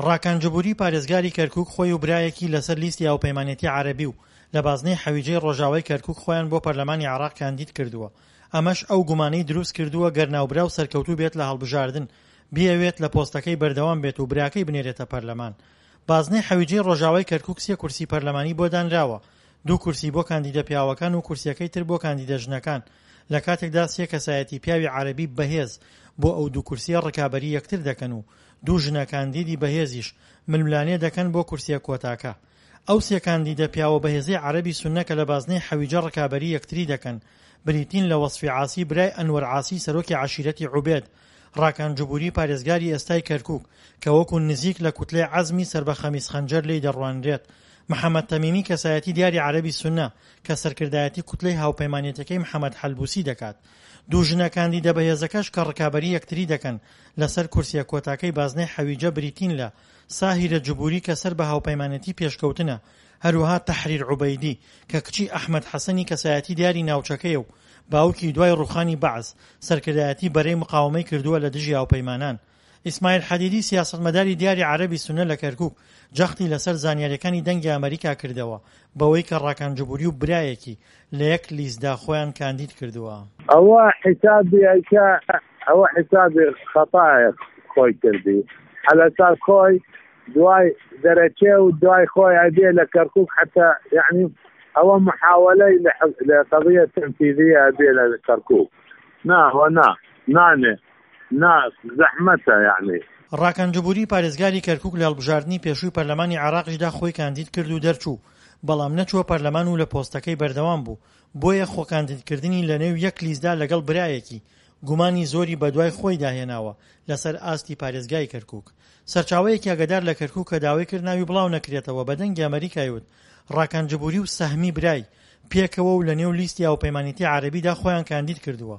ڕاکان جبوری پارێزگاری کەرکوک خۆی و برایەکی لەسەر لیستی هاوپەیمانێتی عەرەبی و لە بازنەی حەویجەی ڕۆژاوای کەرکوک خۆیان بۆ پەرلەمانی عێراق کاندید کردووە، ئەمەش ئەو گومانەی دروست کردووە گەر ناوبراو سەرکەوتوو بێت لە هەڵبژاردن بیەوێت لە پۆستەکەی بەردەوام بێت و براکەی بنێرێتە پەرلەمان. بازنەی حەویجەی ڕۆژاوای کەرکوک سێ کورسی پەرلەمانی بۆ دانراوە، دوو کورسی بۆ کاندیدە پیاوەکان و کورسیەکەی تر بۆ کاندیدە ژنەکان، لە کاتێکدا سێ کەسایەتی پیاوی عەرەبی بەهێز بۆ ئەو دوو کورسیە ڕکابەری یەکتر دەکەن و دوو ژنە کاندیدی بەهێزیش ململانێ دەکەن بۆ کورسیە کۆتاکە. ئەو سێ کاندیدە پیاوە بەهێزەی عەرەبی سوننە کە لە بازنەی حەویجە ڕکابەری یەکتری دەکەن بریتین لە وەسفی عاسی برای ئەنوەر عاسی سەرۆکی عەشیرەتی عوبێد، ڕاکان جبوری پارێزگاری ئێستای کەرکوک کە وەکو نزیک لە کوتلەی عەزمی سەر بە خەمیس خەنجەر لێی دەڕوانرێت، محەمەد تەمیمی کەسایەتی دیاری عەرەبی سوننە کە سەرکردایەتی کوتلەی هاوپەیمانێتیەکەی محەمەد حەلبوسی دەکات. دوو ژنە کاندیدە بەهێزەکەش کە ڕکابەری یەکتری دەکەن لەسەر کورسیە کۆتاکەی بازنەی حەویجە بریتین لە ساهیرە جبوری کە سەر بە هاوپەیمانێتی پێشکەوتنە، هەروەها تەحریر عوبەیدی کە کچی ئەحمەد حەسەنی کەسایەتی دیاری ناوچەکەیە و باوکی دوای ڕوخانی بەعس سەرکردایەتی بەرەی مقاوەمەی کردووە لە دژی هاوپەیمانان. ئیسماعیل حەدیدی سیاسەتمەداری دیاری عەرەبی سوننە لە کەرکوک جەختی لەسەر زانیاریەکانی دەنگی ئەمەریکا کردەوە بەوەی کە ڕاکان جبوری و برایەکی لە یەک لیستدا خۆیان کاندید کردووە. ئەوە حیسابی ئەیکا ئەوە حیسابی خەتایە خۆی کردی عەلەساس خۆی دوای دەرەچێ و دوای خۆی ئەبێ لە کەرکوک حتا یعنی ئەوە محاولەی لە قضیە تنفیذیە ئەبێ لە کەرکوک نا هو نا نانێ نا زەحمەتە یعنی. ڕاکان جبوری پارێزگاری کەرکوک لە هەڵبژاردنی پێشووی پەرلەمانی عێراقیشدا خۆی کاندید کرد و دەرچوو، بەڵام نەچووە پەرلەمان و لە پۆستەکەی بەردەوام بوو، بۆیە خۆکاندیدکردنی لەنێو یەک لیستدا لەگەڵ برایەکی، گومانی زۆری بەدوای خۆیدا هێناوە لەسەر ئاستی پارێزگای کەرکوک. سەرچاوەیەکی ئاگادار لە کەرکوک کە داوای کرد ناوی بڵاو نەکرێتەوە بە دەنگی ئەمەریکای وت ڕاکان جبوری و سەهمی برای پێکەوە و لەنێو لیستی هاوپەیمانێتی عەرەبیدا خۆیان کاندید کردووە.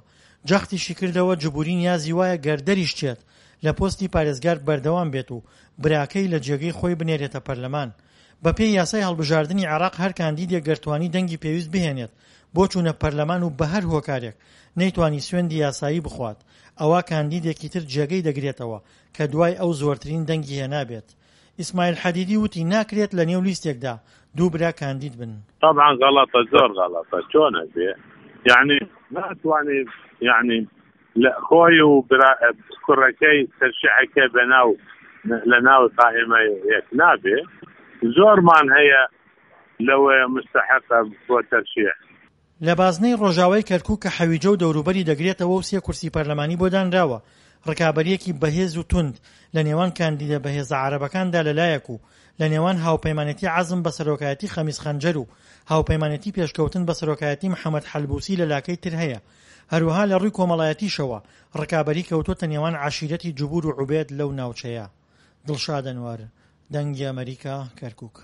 جەختیشی کردەوە جبوری نیازی وایە گەر دەریشچێت لە پۆستی پارێزگار بەردەوام بێت و براکەی لە جێگەی خۆی بنێرێتە پەرلەمان. بەپێی یاسای هەڵبژاردنی عێراق هەر کاندیدێک گەر توانی دەنگی پێویست بهێنێت بۆ چوونە پەرلەمان و بەهەر هۆکارێک نەیتوانی سوێندی یاسایی بخوات ئەوا کاندیدێکی تر جێگەی دەگرێتەوە کە دوای ئەو زۆرترین دەنگی هێنابێت. ئیسماعیل حەدیدی وتی ناکرێت لە نێو لیستێکدا دوو برا کاندید بن. تەبعەن غەڵەتە زۆر غەڵەتە چۆن ئەبێ یەعنی ناتوانێ یەعنی لە خۆی و برا کوڕەکەی تەرشیحەکە بەناو لە ناو قائیمە یەک نابێ زۆرمان هەیە لەوەیە مستحقە بۆ تەرشیح. لە بازنەی ڕۆژاوای کەرکوک کە حەویجە و دەوروبەری دەگرێتەوە و سێ کورسی پەرلەمانی بۆ دانراوە، ڕکابەرییەکی بەهێز و توند لە نێوان کاندیدە بەهێزە عەرەبەکاندا لە لایەک و لە نێوان هاوپەیمانێتی عەزم بە سەرۆکایەتی خەمیس خەنجەر و هاوپەیمانێتی پێشکەوتن بە سەرۆکایەتی محەمەد حەلبوسی لە لاکەی تر هەیە. هەروەها لە ڕووی کۆمەڵایەتیشەوە ڕکابەری کەوتۆتە نێوان عەشیرەتی جبور و عوبێد لەو ناوچەیە. دڵشاد ئەنوەر، دەنگی ئەمەریکا، کەرکوک.